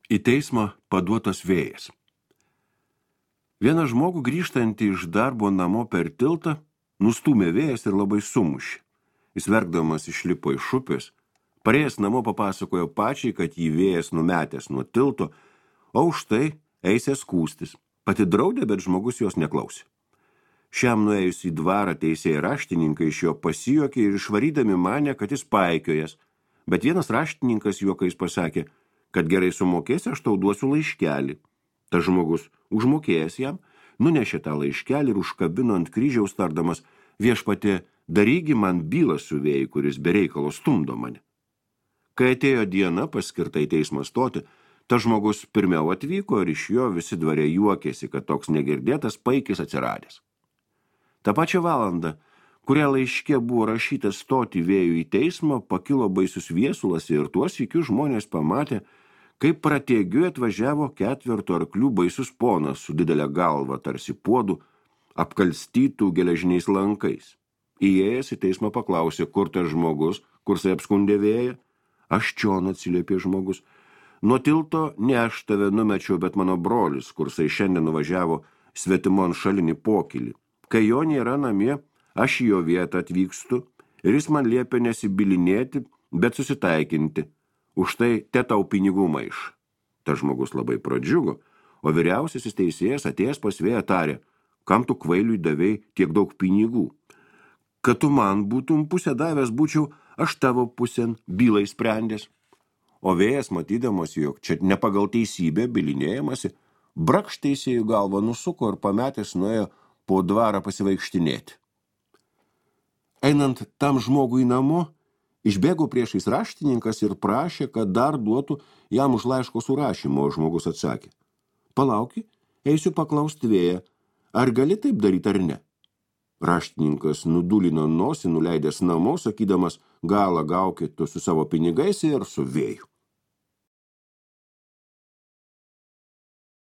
Į teismą paduotas vėjas. Vieną žmogų grįžtantį iš darbo namo per tiltą nustūmė vėjas ir labai sumušė. Jis verkdamas išlipo iš upės, parėjęs namo papasakojo pačiai, kad jį vėjas numetęs nuo tilto, o už tai eisė skųstis. Pati draudė, bet žmogus jos neklausė. Šiam nuėjus į dvarą teisėjai raštininkai iš jo pasijuokė ir išvarydami manė, kad jis paikiojas, bet vienas raštininkas juokais pasakė, kad gerai sumokėsi, aš tau duosiu laiškelį. Tas žmogus, užmokėjęs jam, nunešė tą laiškelį ir užkabino ant kryžiaus tardamas, viešpatie, darygi man bylą su vėjai, kuris be reikalo stumdo mane. Kai atėjo diena paskirta į teismą stoti, tas žmogus pirmiau atvyko ir iš jo visi dvare juokėsi, kad toks negirdėtas paikis atsiradęs. Ta pačią valandą, kurią laiške buvo rašyta stoti vėjų į teismą, pakilo baisus viesulas ir tuos sykius žmonės pamatė, kaip pratėgiu atvažiavo 4 arklių baisus ponas su didelė galva tarsi puodų, apkalstytų geležiniais lankais. Įėjęs į teismą paklausė, kur tas žmogus, kursai apskundė vėją. Aš čion, atsiliepė žmogus. Nuo tilto ne aš tave numečiau, bet mano brolis, kursai šiandien nuvažiavo svetimon šalinį pokylį. Kai jo nėra namie, aš į jo vietą atvykstu ir jis man liepia nesibilinėti, bet susitaikinti. Už tai te tau pinigų maiš. Tas žmogus labai pradžiugo, o vyriausiasis teisėjas atėjęs pas vėją tarė, kam tu kvailiui davei tiek daug pinigų. Kad tu man būtum pusę davęs, būčiau aš tavo pusėn bylai sprendęs. O vėjas, matydamas, jog čia ne pagal teisybę bilinėjamasi, brakšt teisėjų galvą nusuko ir pametęs nuėjo po dvarą pasivaikštinėti. Einant tam žmogui namo, išbėgo priešais raštininkas ir prašė, kad dar duotų jam už laiško surašymo, o žmogus atsakė. Palauki, eisiu paklausti vėją, ar gali taip daryti ar ne? Raštininkas nudulino nosį, nuleidęs namo, sakydamas, galą gaukit tu su savo pinigais ir su vėju.